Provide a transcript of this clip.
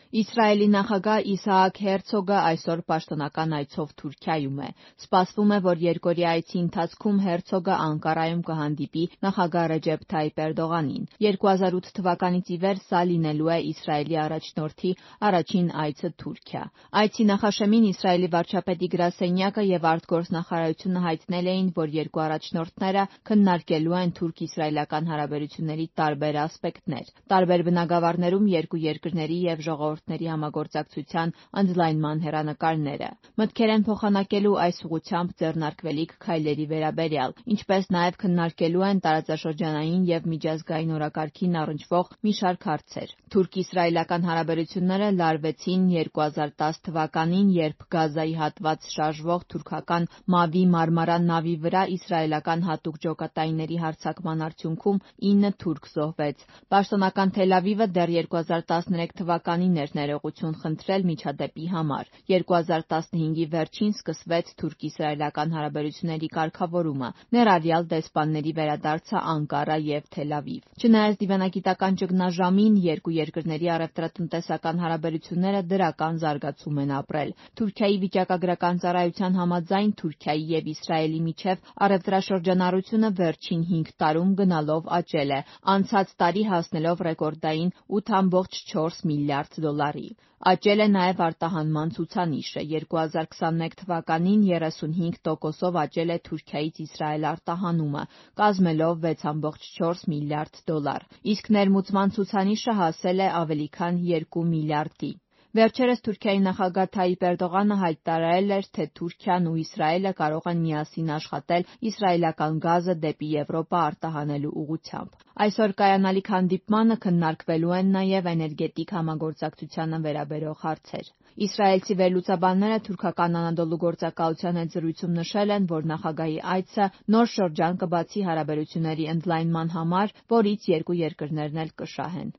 Իսրայելի նախագահ Իսահակ Հերցոգը այսօր պաշտոնական այցով Թուրքիայում է։ Սպասվում է, որ երկօրյա այցի ընթացքում Հերցոգը Անկարայում կհանդիպի նախագահ Ռեջեփ Թայիփ Էրդողանին։ 2008 թվականից ի վեր սա լինելու է Իսրայելի առաջնորդի առաջին այցը Թուրքիա։ Այցի նախաշեմին Իսրայելի վարչապետի գրասենյակը եւ արտգործնախարարությունը հայտնել էին, որ երկու առաջնորդները քննարկելու են թուրք-իսրայելական հարաբերությունների տարբեր ասպեկտներ։ Տարբեր բնագավառներում երկու երկրների եւ ժողովուրդների համագործակցության ընդլայնման հեռանկարները։ Մտքեր են փոխանակելու այս ուղղությամբ ձեռնարկվելիք քայլերի վերաբերյալ, ինչպես նաեւ քննարկելու են տարածաշրջանային եւ միջազգային օրակարգին առնչվող մի շարք հարցեր։ Թուրք-իսրայելական հարաբերությունները լարվեցին 2010 թվականին, երբ Գազայի հատված շարժվող թուրքական Մավի Մարմարա նավի վրա իսրայելական հատուկ ջոկատայինների հարձակման արդյունքում 9 թուրք զոհվեց։ Պաշտոնական Թել Ավիվը դեռ 2013 թվականին էր ներողություն խնդրել միջադեպի համար։ 2015-ի վերջին սկսվեց թուրք-իսրայելական հարաբերությունների կարգավորումը, ներառյալ դեսպանների վերադարձը Անկարա եւ Թել Ավիվ։ Չնայած դիվանագիտական ճգնաժամին, երկու երկրների առևտրատնտեսական հարաբերությունները դրական զարգացում են ապրել։ Թուրքիայի վիճակագրական ծառայության համաձայն Թուրքիայի եւ Իսրայելի միջև առևտրաշրջանառությունը վերջին 5 տարում գնալով աճել է, անցած տարի հասնելով ռեկորդային 8,4 միլիարդ դոլարի։ Աճել է նաև արտահանման ցուցանիշը։ 2021 թվականին 35%-ով աճել է Թուրքիայից Իսրայել արտահանումը, կազմելով 6,4 միլիարդ դոլար, իսկ ներմուծման ցուցանիշը հասել է ավելի քան 2 միլիարդի։ Վերջերս Թուրքիայի նախագահ Թայիփ Էրդողանը հայտարարել էր, թե Թուրքիան ու Իսրայելը կարող են միասին աշխատել իսրայելական գազը դեպի Եվրոպա արտահանելու ուղղությամբ։ Այսօր կայանալիք հանդիպմանը քննարկվելու են նաև էներգետիկ համագործակցությանը վերաբերող հարցեր։ Իսրայելցի վերլուծաբանները թուրքական Անադոլու գործակալության հետ զրույցում նշել են, որ նախագահի այցը նոր շրջան կբացի հարաբերությունների ընդլայնման համար, որից երկու երկրներն էլ կշահեն։